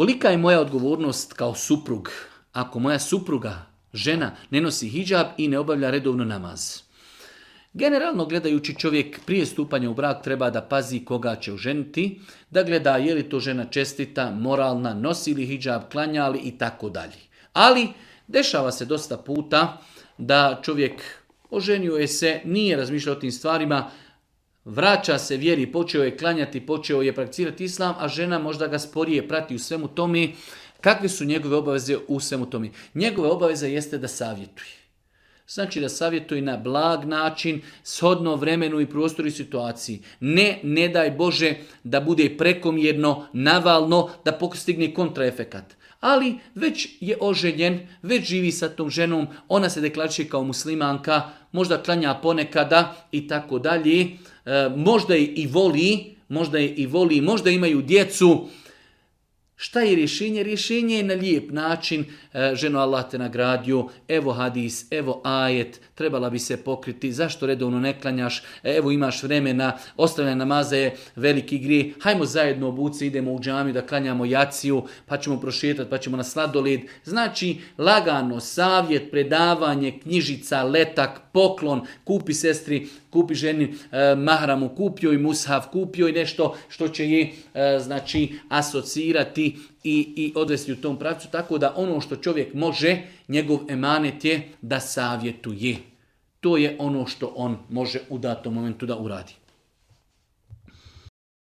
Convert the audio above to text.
Kolika je moja odgovornost kao suprug ako moja supruga, žena, ne nosi hidžab i ne obavlja redovno namaz? Generalno gledajući, čovjek prije stupanja u brak treba da pazi koga će oženiti, da gleda je li to žena čestita, moralna, nosi li hidžab, klanja li i tako dalje. Ali dešava se dosta puta da čovjek oženio je se, nije razmišljao o tim stvarima, vraća se vjeri, počeo je klanjati, počeo je prakticirati islam, a žena možda ga sporije prati u svemu tome. Kakve su njegove obaveze u svemu tome? Njegove obaveze jeste da savjetuje. Znači da savjetuje na blag način, shodno vremenu i prostoru i situaciji. Ne daj Bože da bude prekomjerno, navalno, da postigne kontraefekat. Ali već je oženjen, već živi sa tom ženom, ona se deklariše kao muslimanka, možda klanja ponekada i tako dalje. Možda je i voli, možda imaju djecu. Šta je rješenje? Rješenje je na lijep način. Ženo, Allah te nagradio, evo hadis, evo ajet, trebala bi se pokriti, zašto redovno ne klanjaš, evo imaš vremena, ostavljanje namaza je veliki grijeh, hajmo zajedno obuci, idemo u džamiju da klanjamo jaciju, pa ćemo prošetati, pa ćemo na sladoled. Znači, lagano, savjet, predavanje, knjižica, letak, poklon, kupi sestri, kupi ženi mahramu, kupio i mushaf, kupio i nešto što će je asocirati i odvesti u tom pravcu, tako da ono što čovjek može, njegov emanet je da savjetuje. To je ono što on može u datom momentu da uradi.